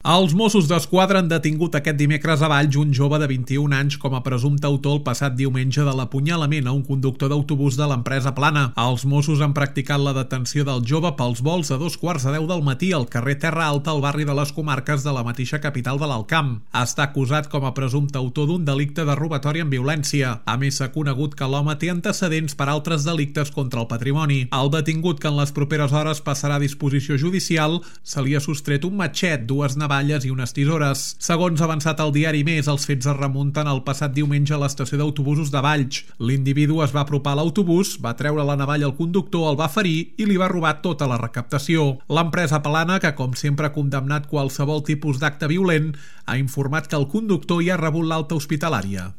Els Mossos d'Esquadra han detingut aquest dimecres a Valls un jove de 21 anys com a presumpte autor el passat diumenge de l'apunyalament a un conductor d'autobús de l'empresa Plana. Els Mossos han practicat la detenció del jove pels vols a 2:15 del matí al carrer Terra Alta, al barri de les Comarques de la mateixa capital de l'Alt Camp. Està acusat com a presumpte autor d'un delicte de robatori amb violència. A més, s'ha conegut que l'home té antecedents per altres delictes contra el patrimoni. El detingut, que en les properes hores passarà a disposició judicial, se li ha sostret un matxet, dues navalles i unes tisores. Segons ha avançat el diari Més, els fets es remunten el passat diumenge a l'estació d'autobusos de Valls. L'individu es va apropar a l'autobús, va treure la navalla al conductor, el va ferir i li va robar tota la recaptació. L'empresa Plana, que com sempre ha condemnat qualsevol tipus d'acte violent, ha informat que el conductor ja ha rebut l'alta hospitalària.